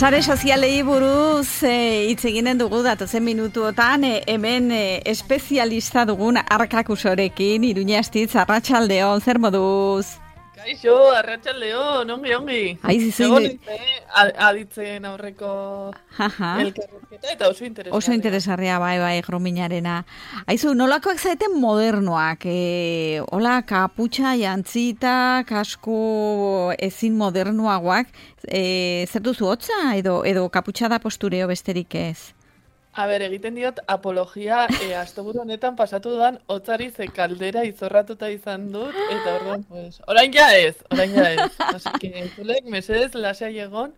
Sare sozialei buruz hitz eginen dugu datozen minutuotan hemen espezialista dugun Arkakusorekin, Iruña Astitz, arratsaldeon, zer moduz? Kaixo, arratsaldeon, ongi. Egon aditzen aurreko elkarrizketa eta oso interesgarria. Oso interesgarria, bai, Grominarena. Aizu, nolakoak zaeten modernoak? Hola, kaputxa, jantzita, kasko ezin modernoagoak. Zer duzu hotza edo kaputxa da postureo besterik ez? A ber, egiten diot apologia asteburu honetan pasatu dudan hotzari ze kaldera izorratuta izan dut, eta orduan, pues, orain ja ez. Así que, zulek, mesedez, lasai egon,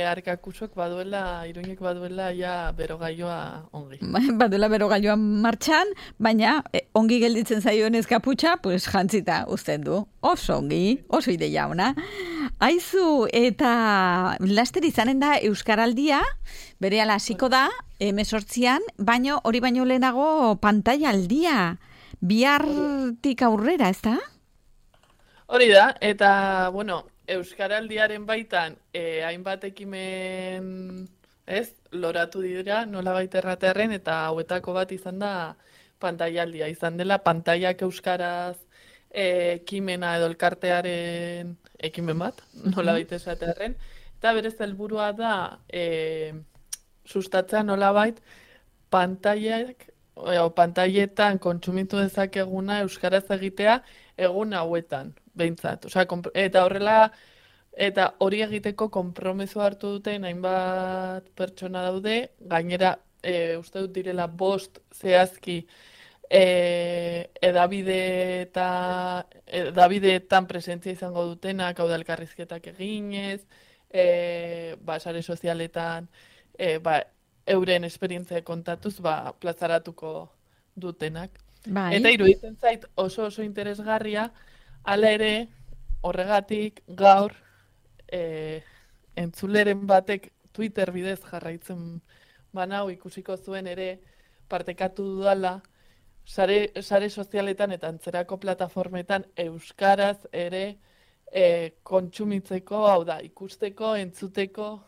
Arkakusok baduela, Iruñek baduela ja berogailua ongi. Baduela berogailua martxan, baina ongi gelditzen zaioen kaputxa, pues jantzita uzten du. Oso ongi, oso ideia ona. Aizu, eta laster izanen da Euskaraldia, berehala hasiko da, 18an, baino hori baino lehenago pantailaldia, bihartik aurrera, ez da? Hori da, eta, bueno, Euskaraldiaren baitan, hainbat ekimen, loratu dira, nolabait erratearren, eta hauetako bat izan da pantailaldia, izan dela pantailak euskaraz ekimena edo elkartearen ekimen bat, nolabait esatearren, eta berez helburua da sustatzea nolabait pantailetan kontsumitu dezakeguna euskaraz egitea egun hauetan, behintzat. Osea, eta horrela, eta hori egiteko konpromiso hartu duten hainbat pertsona daude, gainera uste dut direla 5 zehazki edabideetan presentzia izango dutenak, hau da elkarrizketak eginez, sare sozialetan, euren esperientzia kontatuz, plazaratuko dutenak. Bai. Eta iruditzen zait oso interesgarria, hala ere, horregatik gaur entzuleren batek Twitter bidez jarraitzen banau ikusiko zuen ere partekatu dudala sare sozialetan eta antzerako plataformetan euskaraz ere kontsumitzeko, hau da, ikusteko, entzuteko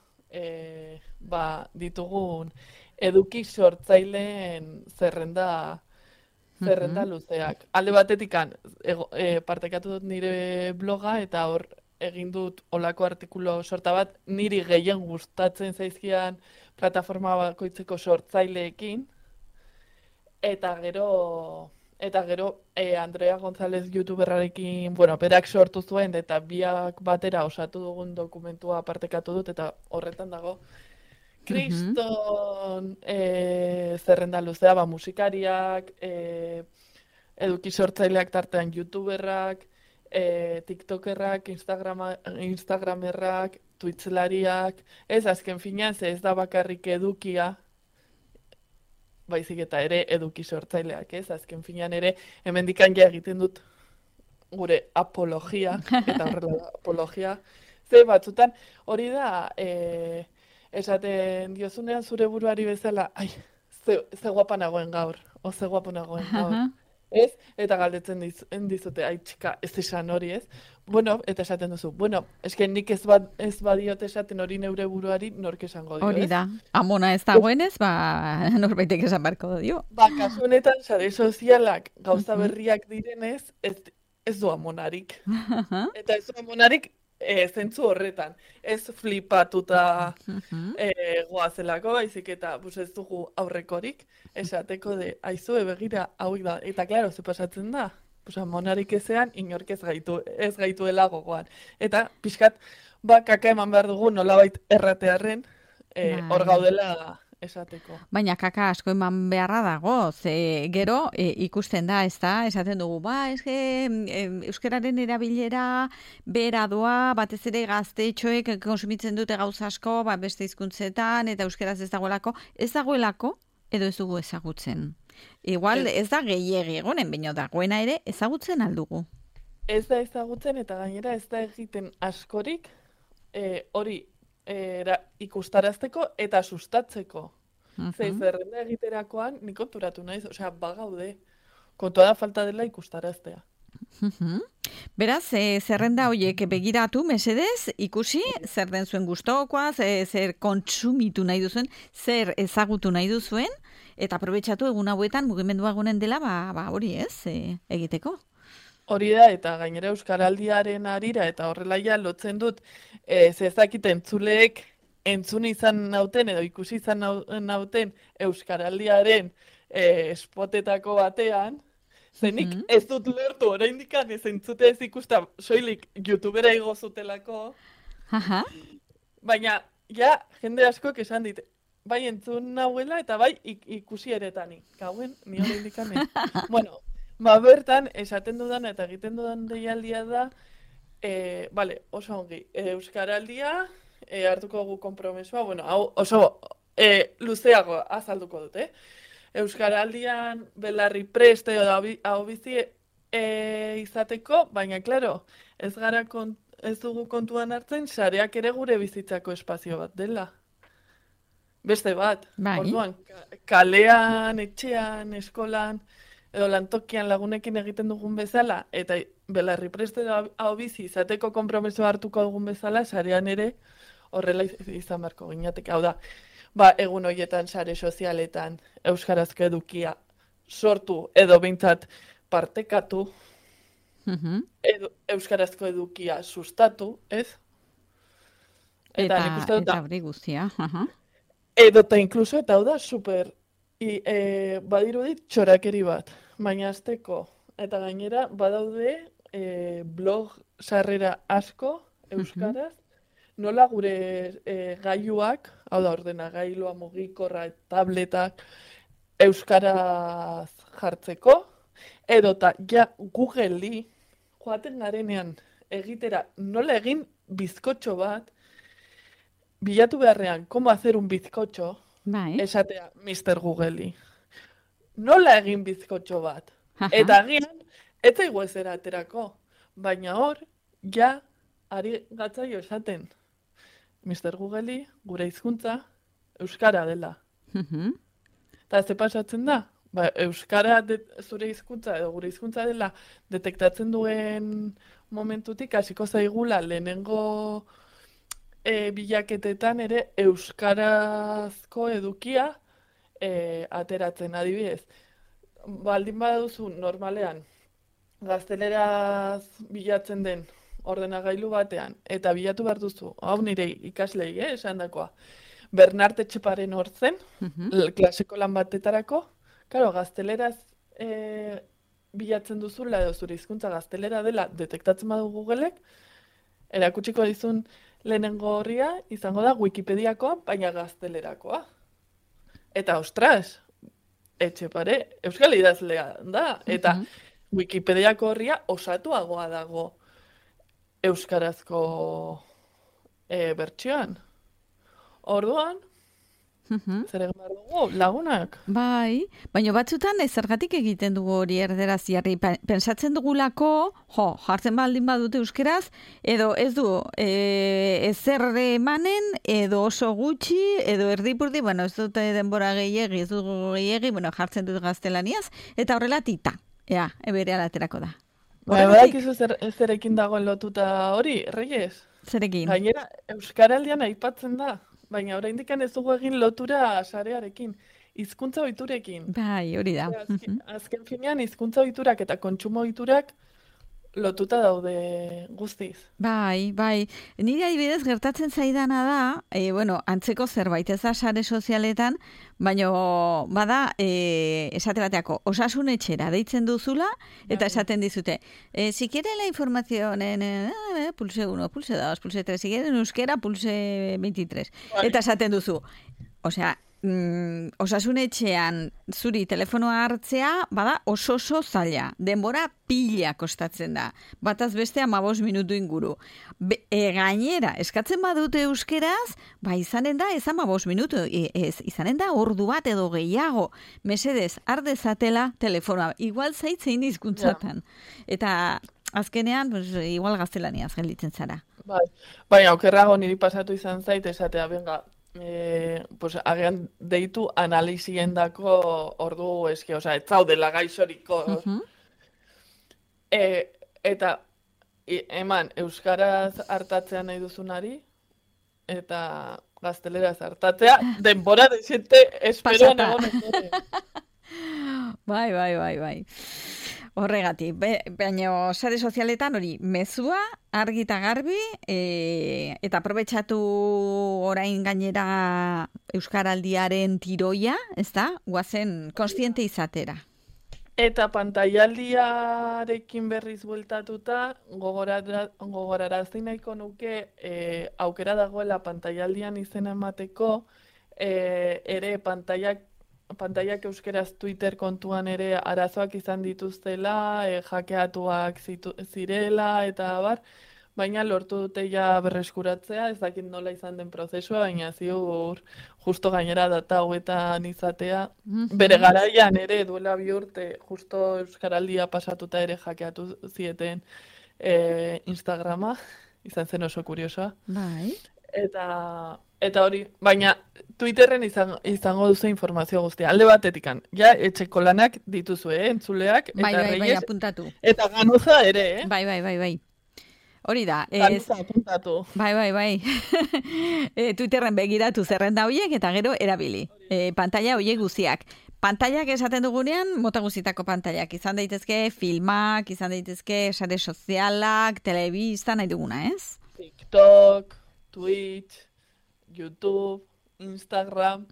ditugun eduki sortzaileen zerrenda luzeak. Alde batetik partekatu dut nire bloga eta hor egin dut olako artikulu sorta bat niri gehien gustatzen zaizkian plataforma bakoitzeko sortzaileekin eta gero Andrea González youtuberrarekin, berak sortu zuen eta biak batera osatu dugun dokumentua partekatu dut eta horretan dago kriston zerrenda luzea, musikariak, eduki sortzaileak tartean youtuberrak, tiktokerrak, instagramerrak, twitchlariak, azken finean ez da bakarrik edukia, baizik eta ere eduki sortzaileak, azken finean ere hemendikan ja egiten dut gure apologia, eta horrela apologia, ze batzutan hori da, esaten diozunean zure buruari bezala, ze guapa nagoen gaur, ze guapo nagoen gaur, ez? Eta galdetzen dizute, txika, ez esan hori, ez? Eta esaten duzu, eske nik ez badiot esaten hori neure buruari nork esango dio, ez? Hori da, amona ez dagoenez, norbaitek esan barko dio. Kasu honetan, sare sozialak gauza berriak direnez, ez du amonarik. Eta ez du amonarik, zentzu horretan, ez flipatuta goazelako, baizik eta ez dugu aurrekorik, esateko aizue begira hau da, eta klaro, ze pasatzen da, monarik ezean, inork ez gaituela gogoan. Eta pixkat, kaka eman behar dugu nolabait erratearren, hor gaudela esateko. Baina kaka asko eman beharra dago, ze gero ikusten da, ez da, esaten dugu, euskararen erabilera bera doa, batez ere gaztetxoek konsumitzen dute gauza asko, beste hizkuntzetan eta euskaraz ez dagoelako edo ez dugu ezagutzen. Igual ez da gehiegi egonen, baina dagoena ere ezagutzen aldugu. Ez da ezagutzen eta gainera ez da egiten askorik hori ikustarazteko eta sustatzeko. Zerrenda egiterakoan nik konturatu naiz, bagaude. Kontua da falta dela ikustaraztea. Beraz, zerrenda horiek begiratu, mesedez, ikusi, zer den zuen gustokoa, zer kontsumitu nahi duzuen, zer ezagutu nahi duzuen, eta aprobetxatu egun hauetan mugimendua egunen dela, hori ez, egiteko. Hori da, eta gainera Euskaraldiaren arira, eta horrela ja lotzen dut, zezakit entzuleek entzun izan nauten, edo ikusi izan nauten Euskaraldiaren spotetako batean, zenik ez dut lertu, oraindik ez entzute ez ikusta, soilik YouTubera igo zutelako, baina, ja, jende askok esan dit, bai entzun nahuela eta bai ikusi eretani. Gauen, ni oraindik ez. Bueno, bertan, esaten dudan eta egiten dudan deialdia da, oso ongi, Euskaraldia, hartuko gu konpromesua, bueno, hau oso luzeago azalduko dut, Euskaraldian belarri preste hau bizi izateko, baina, klaro, ez dugu kontuan hartzen, sareak ere gure bizitzako espazio bat dela. Beste bat, orduan, kalean, etxean, eskolan, edo lantokian lagunekin egiten dugun bezala, eta belarri preste hau bizi izateko konpromeso hartuko dugun bezala, sarean ere horrela izan beharko ginateke. Hau da, egun horietan sare sozialetan euskarazko edukia sortu edo behintzat partekatu, edo euskarazko edukia sustatu, ez? Eta hori guztia, Edo eta inkluso, eta hau da, super, badirudit txorakeri bat, baina azteko, eta gainera badaude blog sarrera asko euskaraz, nola gure gailuak, hau da, ordenagailua, mugikorra, tabletak, euskaraz jartzeko, edota ja Google-i joaten garenean egitera nola egin bizkotxo bat, bilatu beharrean, cómo hacer un bizkotxo, esatea Mr. Google-i. Nola egin bizkotxo bat? Eta agian, ez zaigu ezera aterako, baina hor, ja, ari gatzaio esaten. Mr. Google-i, gure hizkuntza, euskara dela. Eta ze pasatzen da? Euskara zure hizkuntza edo gure hizkuntza dela detektatzen duen momentutik hasiko zaigula lehenengo bilaketetan ere euskarazko edukia ateratzen, adibidez. Baldin baduzu normalean gazteleraz bilatzen den ordenagailu batean, eta bilatu behar duzu, hau nire ikaslei, esandakoa, Bernart Etxeparen hortzen, klaseko lan batetarako, karo, gazteleraz bilatzen duzula edo zure hizkuntza gaztelera dela detektatzen badu Googleek, erakutsiko dizun lehenengo horria izango da Wikipediakoa, baina gaztelerakoa. Eta, ostras, Etxepare, euskal idazlea da, eta Wikipediako horria osatuagoa dago euskarazko bertsioan. Orduan, zer egin behar dugu, lagunak? Bai, baina batzutan zergatik egiten dugu hori erderaz jarri. Pensatzen dugulako, jartzen baldin badute euskeraz, edo ez du ezer emanen, edo oso gutxi, edo erdipurdi, bueno, ez dute denbora gehiegi, ez dugu gehiegi, bueno, jartzen dut gaztelaniaz, eta horrela tita, ebere alaterako da. Badakizu zerekin dagoen lotuta hori, Reyes? Zerekin? Gainera, Euskaraldian aipatzen da. Baina oraindik ez dugu egin lotura sarearekin, hizkuntza ohiturekin. Bai, hori da. Azken finean hizkuntza ohiturak eta kontsumo ohiturak lotuta daude guztiz. Bai. Nire adibidez gertatzen zaidana da, antzeko zerbait ez da sare sozialetan, baina bada esate bateako osasun etxera deitzen duzula eta esaten dizute. Si quiere la información en pulse 1, pulse 2, pulse 3, si quiere en euskera pulse 23. Eta esaten duzu. Osea, osasun etxean zuri telefonoa hartzea, bada oso zaila. Denbora pila kostatzen da. Bataz beste 15 minutu inguru. Gainera, eskatzen badute euskeraz, izanen da ez 15 minutu, izanen da ordu bat edo gehiago. Mesedez, ardezatela telefonoa. Igual zaitzein hizkuntzatan. Eta azkenean, igual gaztelaniaz gelditzen zara. Baina, okerrago niri pasatu izan zait, esatea, benga, agian deitu analiziendako ordu eske, ez zaudela gaixoriko. Eta eman euskaraz hartatzea nahi duzunari, eta gazteleraz hartatzea, denbora desente esperoan egon ondoren. Bai. Horregatik, baina sare sozialetan hori, mezua, argi eta garbi, eta aprobetxatu orain gainera Euskaraldiaren tiroia, ez da? Guazen kontziente izatera. Eta pantailaldiarekin berriz bueltatuta, gogorarazi nahiko nuke aukera dagoela pantailaldian izena emateko, ere pantailak euskeraz Twitter kontuan ere arazoak izan dituztela, hackeatuak zirela eta abar, baina lortu dute ja berreskuratzea, ez dakit nola izan den prozesua, baina ziur justo gainera data hauetan izatea. Bere garaian ere duela 2 urte justo Euskaraldia pasatuta ere hackeatu zieten Instagrama, izan zen oso kuriosoa. Bai. Eta hori, baina Twitterren izango duzu informazio guztia. Alde batetikan, ja etxeko lanak dituzue, entzuleak, eta Bai, apuntatu. Eta ganuza ere, Bai. Hori da. Ganuza apuntatu. Bai. Twitterren begiratu zerrenda horiek eta gero erabili. Pantalla horiek guztiak. Pantailak esaten dugunean, mota guztietako pantailak. Izan daitezke filmak, izan daitezke sare sozialak, telebista, nahi duguna, ez? TikTok, Twitch, YouTube, Instagram,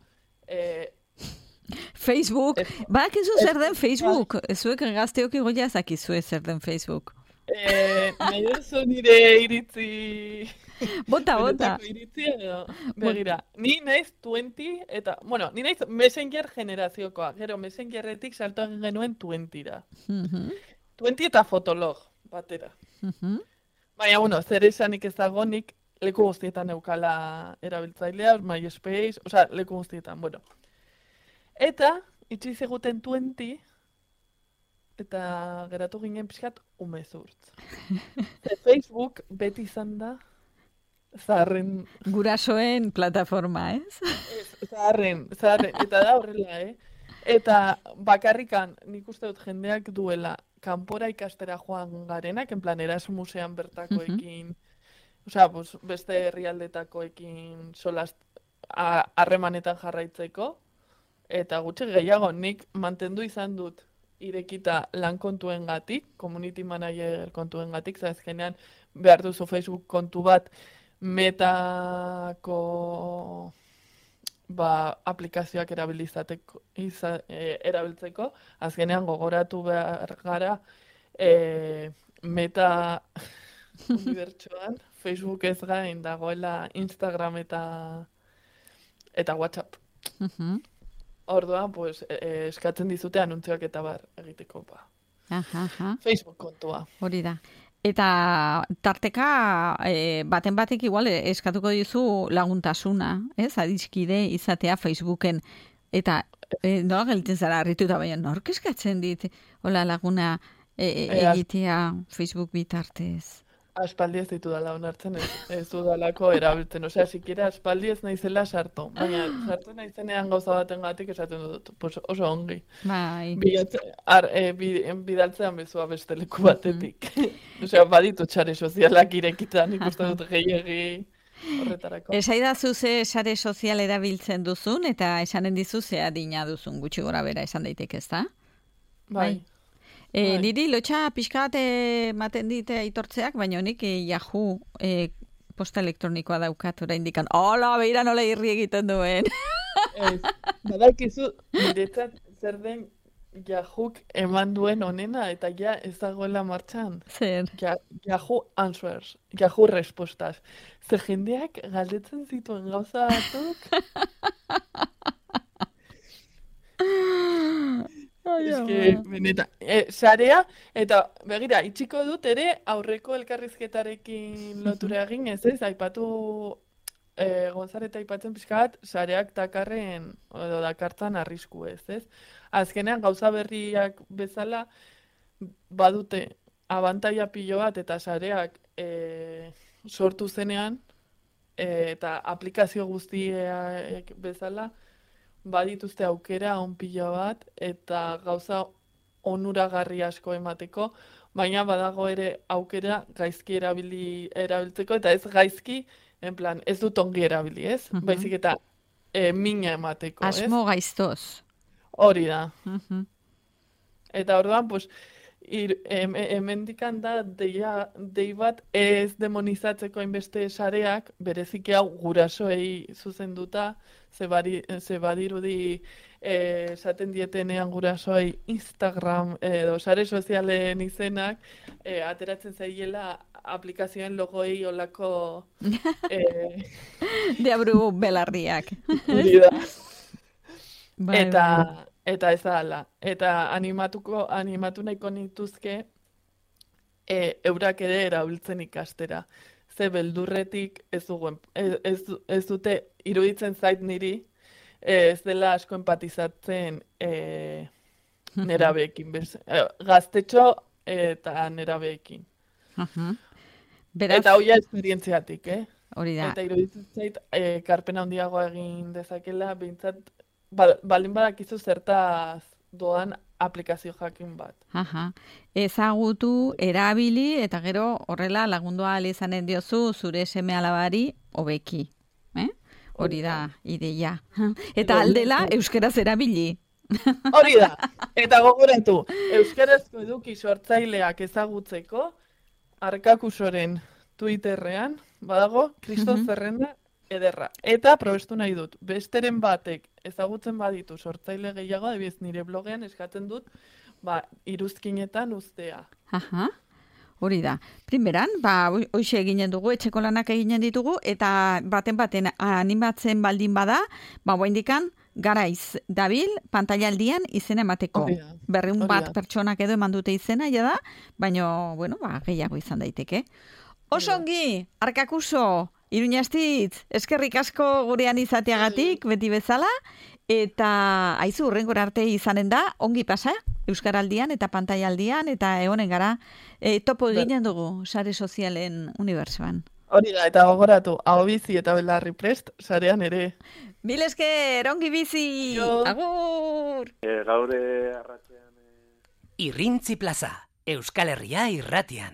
Facebook. Bakizu zer den Facebook? Zuek gazteok igoia zakizue zer den Facebook. Nahi duzu nire iritzi... Bota. Iritzi edo, begira. Ni naiz 20 eta, ni naiz Messenger generaziokoa. Gero Messengerretik salto egin genuen 20ra. 20 eta Fotolog batera. Baina, zer esanik ez dagonik, leku guztietan eukala erabiltzailea, MySpace, leku guztietan, Eta, itxi zeguten 20, eta geratu ginen pixkat umezurtz. Facebook beti izan da, zaharren... Gurasoen plataforma, ez? Zaharren, eta da horrela, Eta bakarrikan nik uste dut jendeak duela kanpora ikastera joan garenak, en plan Erasmusean bertakoekin, beste herrialdetakoekin solaz harremanetan jarraitzeko, eta gutxi gehiago nik mantendu izan dut irekita lan kontuengatik, community manager kontuengatik, azkenean behar duzu Facebook kontu bat metako aplikazioak erabiltzeko, azkenean gogoratu behar gara meta unibertsoan, Facebook ez gain dagoela Instagram eta WhatsApp. Orduan, eskatzen dizute anuntzioak eta bar egiteko Facebook kontua. Hori da. Eta tarteka baten batek igual eskatuko dizu laguntasuna, ez? Adiskide izatea Facebooken. Eta nola gelditzen zara harrituta, baina nork eskatzen dit hola laguna egitea Facebook bitartez? Aspaldi ez ditu dala onartzen, ez dudalako erabiltzen. Sikiera aspaldi ez naizela sartu. Baina sartu naizenean gauza baten gatik esaten dut. Oso ongi. Bai. Bidaltzean bezua beste leku batetik. Baditu txare sozialak irekitan, ikusten dut gehiagi horretarako. Esaidazu ze sare sozial erabiltzen duzun, eta esanen dizu ze adina duzun gutxi gora bera esan daiteke, ezta? Bai. Niri lotxa pixkat maten dite aitortzeak, baina honik Yahoo posta elektronikoa daukat oraindik. Hola, beira nola irri egiten duen. Badakizu, niretzat zer den Yahook eman duen onena, eta ja ez dagoela martxan. Zer? Yahoo Answers, Yahoo Respostas. Zer jendeak galdetzen zituen gauza batzuk. Sarea, eta begira, itxiko dut ere aurreko elkarrizketarekin lotura egin, ez, aipatu Gonzareta aipatzen pixka bat, sareak dakarren, edo dakartzan arrisku ez. Azkenean gauza berriak bezala badute abantaila pilo bat eta sareak sortu zenean, eta aplikazio guztiak bezala, badituzte aukera on pilo bat, eta gauza onuragarri asko emateko, baina badago ere aukera gaizki erabiltzeko, eta ez gaizki, en plan, ez dut ongi erabili, ez? Baizik eta mina emateko, ez? Asmo gaiztoz. Hori da. Eta orduan, pues, hemendikan da dei bat ez demonizatzeko hainbeste sareak, bereziki hau gurasoei zuzenduta, ze badirudi esaten dietenean gurasoei Instagram edo sare sozialen izenak, ateratzen zaiela aplikazioen logoei olako Deabru belarriak. Eta ez da, eta animatu nahiko nituzke eurak ere erabiltzen ikastera. Ze beldurretik ez dute iruditzen zait niri, ez dela asko empatizatzen nerabeekin, gaztetxo eta nerabeekin. Eta hoia esperientziatik, Hori da. Eta iruditzen zait, karpena handiagoa egin dezakela, behintzat, baldin badakizu zertaz doan aplikazio jakin bat. Ezagutu, erabili, eta gero horrela lagundua izanen diozu zure seme alabari hobeki. Hori da, ideia. Eta aldela, euskaraz erabili. Hori da. Eta gogoratu, euskarazko eduki sortzaileak ezagutzeko, Arkakusoren Twitterrean, badago, Kriston zerrenda ederra. Eta probestu nahi dut, besteren batek ezagutzen baditu sortzaile gehiago, adibidez nire blogean eskatzen dut, iruzkinetan uztea. Hori da. Primeran, hoxe eginen dugu, etxeko lanak eginen ditugu, eta baten animatzen baldin bada, indikan, garaiz dabil, pantailaldian izena emateko. 200 bat pertsonak edo eman dute izena, da, baina, gehiago izan daiteke. Osongi, Arkakuso, Iruñastitz, eskerrik asko gurean izateagatik, beti bezala, eta haizu hurrengora arte izanen da, ongi pasa, Euskaraldian eta pantailaldian, eta egonen gara, topo eginen dugu, sare sozialen unibertsoan. Hori da, eta gogoratu, hau bizi eta belarri prest, sarean ere. Mil esker, ongi bizi! Agur! Gaure arratzean... Irrintzi plaza, Euskal Herria irratian.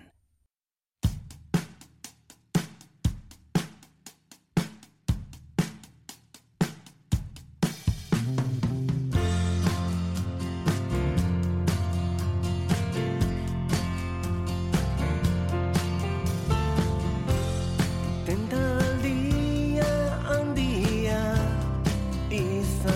Tentaldia handia izan